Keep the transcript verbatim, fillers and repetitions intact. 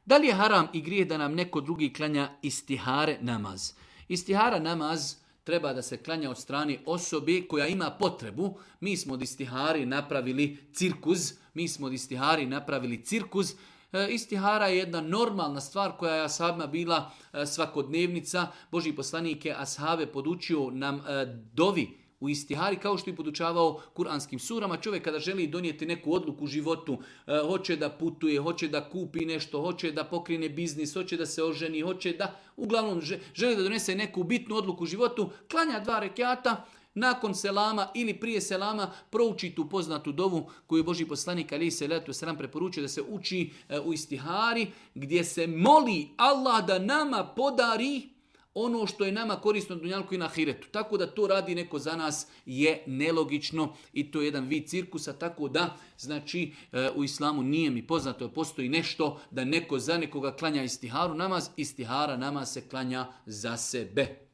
Da li je haram i grijeh da nam neko drugi klanja istihare namaz? Istihara namaz treba da se klanja od strane osobe koja ima potrebu. Mi smo od istihari napravili cirkuz, mi smo od istihari napravili cirkuz. E, istihara je jedna normalna stvar koja je ashabima bila e, svakodnevnica. Božji poslanik je ashabe podučio nam e, dovi u istihari, kao što je podučavao kuranskim surama. Čovjek kada želi donijeti neku odluku u životu, e, hoće da putuje, hoće da kupi nešto, hoće da pokrene biznis, hoće da se oženi, hoće da, uglavnom želi da donese neku bitnu odluku u životu, klanja dva rekjata, nakon selama ili prije selama prouči tu poznatu dovu koju je Božji poslanik alejhi selatu vesselam preporučio da se uči e, u istihari, gdje se moli Allah da nama podari ono što je nama korisno na dunjalku i na ahiretu. Tako da to radi neko za nas je nelogično i to je jedan vid cirkusa, tako da znači u islamu nije mi poznato da postoji nešto da neko za nekoga klanja istiharu namaz, istihara namaz se klanja za sebe.